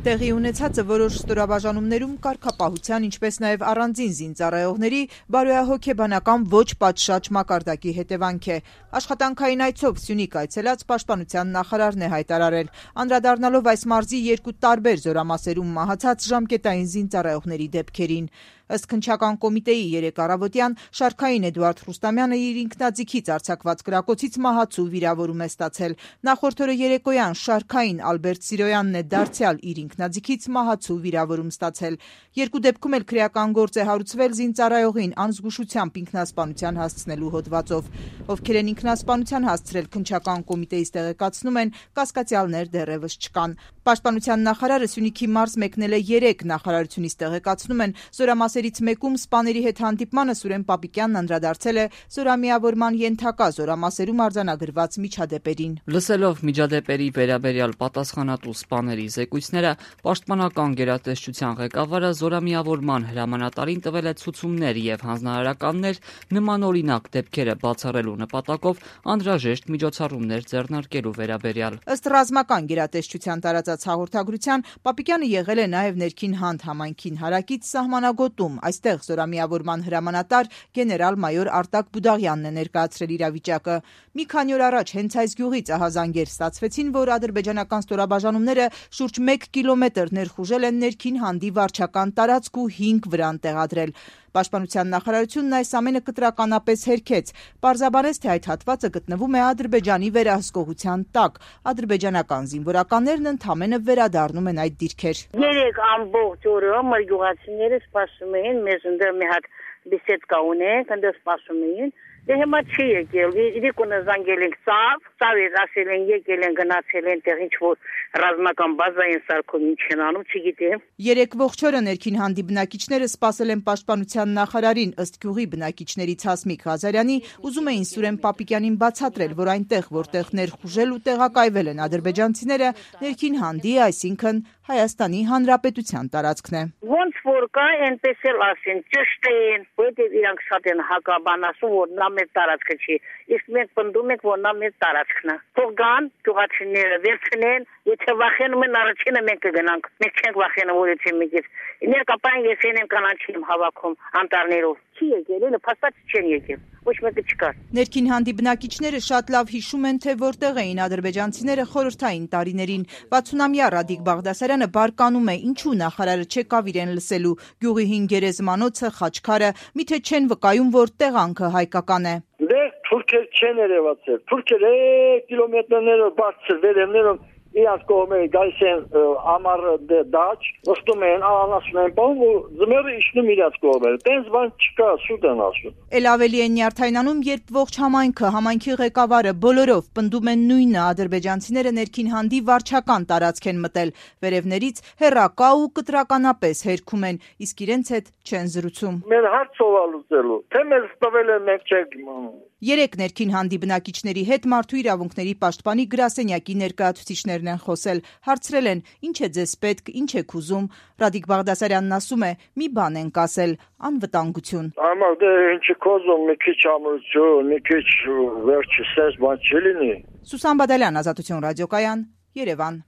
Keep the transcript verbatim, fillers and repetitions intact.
Տեղի ունեցածը որոշ ստորաբաժանումներում կարգապահության, ինչպես նաև առանձին զինծառայողների բարոյահոգեբանական ոչ պատշաճ մակարդակի հետևանք է։ Աշխատանքային այցով Սյունիք այցելած պաշտպանության նախարարն է հայտարարել, անդրադառնալով այս մարզի երկու տարբեր զորամասերում մահացած ժամկետային զինծառայողների դեպքերին։ Ըստ քննչական կոմիտեի երեկ առավոտյան շարքային Էդուարդ Ռուստամյանը իր ինքնաձիգից արձակված կրակոցից մահացու վիրավորում է ստացել։ Նախորդ օրը երեկոյան շարքային Ալբերտ Սիրոյանն է դարձյալ իր ինքնաձիգից մահացու վիրավորում ստացել։ Երկու դեպքում էլ քրեական գործ է հարուցվել զինծառայողին անզգուշությամբ ինքնասպանության հասցնելու հոդվածով։ Ովքեր են ինքնասպանության հասցրել քննչական կոմիտեից տեղեկացնում են, կասկածյալներ դեռևս չկան։ Պաշտպանության նախարարը Սյունիքի մարզ մեկնել է երեկ, նախարարությունից տեղեկացնում են, զորամասերից մեկում սպաների հետ հանդիպմանը Սուրեն Պապիկյանն անդրադարձել է զորամիավորման ենթակա զորամասերում արձանագրված միջադեպերին։ Լսելով միջադեպերի վերաբերյալ պատասխանատու սպաների զեկույցները, պաշտպանական գերատեսչության ղեկավարը զորամիավորման հրամանատարին տվել է ցուցումներ եւ հանձնարարականներ նմանօրինակ դեպքերը բացառելու նպատակով անհրաժեշտ միջոցառումներ ձեռնարկելու վերաբերյալ։ Ըստ ռազմական գերատեսչության տարածած հաղորդագրության, Պապիկյանը եղել է նաև ներքին հանդ համայնքին հարակից սահմանագոտում։ Այստեղ զորամիավորման հրամանատար գեներալ-մայոր Արտակ Բուդաղյանն է ներկայացրել իրավիճակը։ Մի քանի օր առաջ հենց այս գյուղից ահազանգեր ստացվեցին, որ ադրբեջանական ստորաբաժանումները շուրջ մեկ կիլոմետր ներխուժել են ներքին հանդի վարչական տարածք ու հինգ վրան տեղադրել։ Պաշտպանության նախարարությունն այս ամենը կտրականապես հերքեց, պարզաբանեց, թե այդ հատվածը գտնվում է Ադրբեջանի վերահսկողության տակ։ Ադրբեջանական զինվորականներն ընդամենը վերադառնում են այդ դիրքեր։ Երեք ամբողջ օրը մեր գյուղացիները սպասում էին, մեզ ընդդեմ մի հատ բիսեդկա ունենք, ընդդեմ սպասում էին։ Դե հիմա չի եկել, իրիկունը զանգել ենք ծավ, ծավից ասել են եկել են գնացել են տեղ ինչ-որ ռազմական բազա են սարքում, ինչ են անում, չգիտեմ։ Երեք ողջ օրը ներքին հանդի բնակիչները սպասել են պաշտպանության նախարարին, ըստ գյուղի բնակիչներից Հասմիկ Ղազարյանի, ուզում էին Սուրեն Պապիկյանին բացատրել, որ այնտեղ, որտեղ ներխուժել ու տեղակայվել են ադրբեջանցիները, ներքին հանդի, այսինքն Հայաստանի Հանրապետության տարածքն է։ Ոնց որ կա, այնպես էլ ասեն, ճիշտ են, որտեղ իրանք շատ են հակաբան ասում, որ նա մեր տարածքը չի, իսկ մենք պնդում ենք, որ նա մեր տարածքն է։ Թող գան, գյուղացիները վերցնեն, եթե վախենում են, առաջինը մենք կգնանք, մենք չենք վախենում, որ եթե մեկից ներկապային ես են կանաչի եմ հավաքում անտառներով։ Չի եկել, elə փաստաց չեն եկել։ Ոչ մեկը չկար։ Ներքին հանդի բնակիչները շատ լավ հիշում են, թե որտեղ էին ադրբեջանցիները խորհրդային տարիներին։ վաթսունամյա Ռադիկ Բաղդասարյանը բարկանում է, ինչու նախարարը չեկավ իրեն լսելու։ Գյուղի հին գերեզմանոցը, խաչքարը, միթե չեն վկայում, որ տեղանքը հայկական է։ Դե թուրքեր չեն երևացել։ Թուրքերը կիլոմետրներով բարձր վերևներով իրանց կողմերը գալիս են ամառ դաչ, նստում են, անասում են, բան, որ ձմեռը իջնում իրանց կողմերը։ Տենց բան չկա, շուտ են ասում։ Էլ ավելի են նյարդայնանում, երբ ողջ համայնքը, համայնքի ղեկավարը բոլորով պնդում են նույնը, ադրբեջանցիները ներքին հանդի վարչական տարածք են մտել, վերևներից հեռակա ու կտրականապես հերքում են, իսկ իրենց հետ չեն զրուցում։ Մեր հարցով լուծելու, թե մեզ տվել են մենք չենք իմանում։ Երեք ներքին հանդի բնակիչների հետ մարդու իրավունքների պաշտպանի գրասենյակի ներկայացուցիչներն են խոսել, հարցրել են, ինչ է ձեզ պետք, ինչ եք ուզում։ Ռադիկ Բաղդասարյանն ասում է, մի բան ենք ասել, անվտանգություն։ Համար դե ինչի կոզում, մի քիչ ամրություն, մի քիչ վերջի սես բան չի լինի։ Սուսան Բադալյան, Ազատություն ռադիոկայան, Երևան։